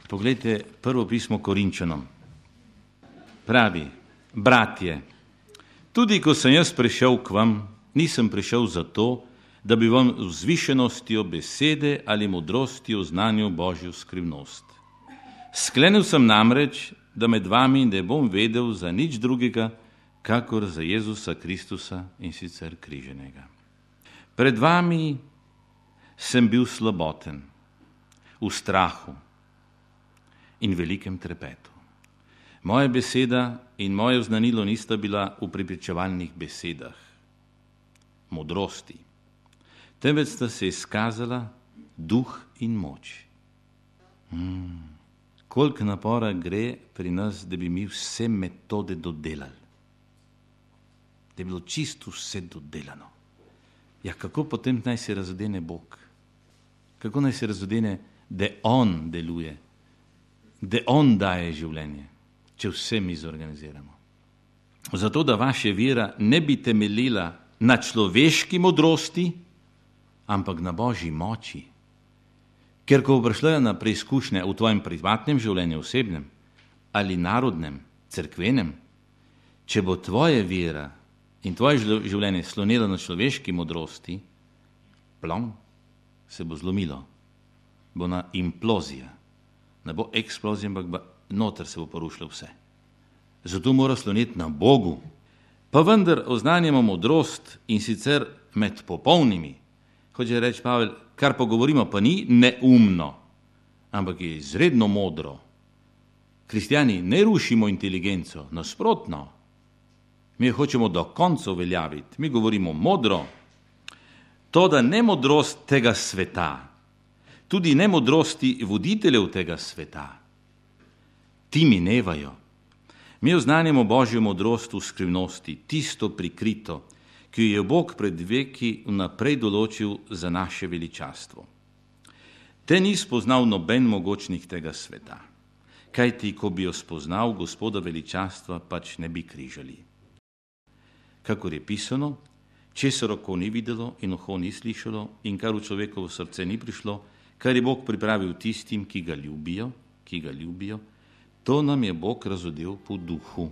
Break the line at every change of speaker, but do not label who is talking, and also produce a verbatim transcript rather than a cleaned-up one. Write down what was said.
Poglejte prvo pismo Korinčanom. Pravi, bratje, tudi ko sem jaz prišel k vam, nisem prišel zato, da bi vam vzvišenostjo besede ali modrostjo oznanil Božjo skrivnost. Sklenil sem namreč, da med vami ne bom vedel za nič drugega, kakor za Jezusa Kristusa in sicer križenega. Pred vami sem bil slaboten, v strahu in velikem trepetu. Moja beseda in moje oznanilo nista bila v prepričevalnih besedah, modrosti, temveč sta se izkazala duh in moč. Hmm. Koliko napora gre pri nas, da bi mi vse metode dodelali, da bi bilo čisto vse dodelano. Ja, kako potem naj se razodene Bog? Kako naj se razodene, da On deluje, da On daje življenje, če vse mi zorganiziramo? Zato, da vaša vera ne bi temeljila na človeški modrosti, ampak na Božji moči. Ker ko bo prišla na preizkušnje v tvojem privatnem življenju, osebnem ali narodnem, cerkvenem, če bo tvoja vera in tvoje življenje slonilo na človeški modrosti, plom, se bo zlomilo, bo na implozija, ne bo eksplozija, ampak noter se bo porušilo vse. Zato mora sloniti na Bogu. Pa vendar oznanjamo modrost in sicer med popolnimi. Hoče reči Pavel, kar pa govorimo, pa ni neumno, ampak je izredno modro. Kristjani ne rušimo inteligenco, nasprotno. Mi hočemo do konca uveljaviti, mi govorimo modro. To, da ne modrost tega sveta, tudi ne modrosti voditeljev tega sveta, ti minevajo. Mi oznanjamo Božjo modrost v skrivnosti, tisto prikrito, ki jo je Bog pred veki vnaprej določil za naše veličastvo. Te ni spoznal noben mogočnih tega sveta, kajti ko bi jo spoznal, Gospoda veličastva pač ne bi križali. Kakor je pisano, česar oko ni videlo in uho ni slišalo in kar v človekovo srce ni prišlo, kar je Bog pripravil tistim, ki ga ljubijo, ki ga ljubijo, to nam je Bog razodel po duhu.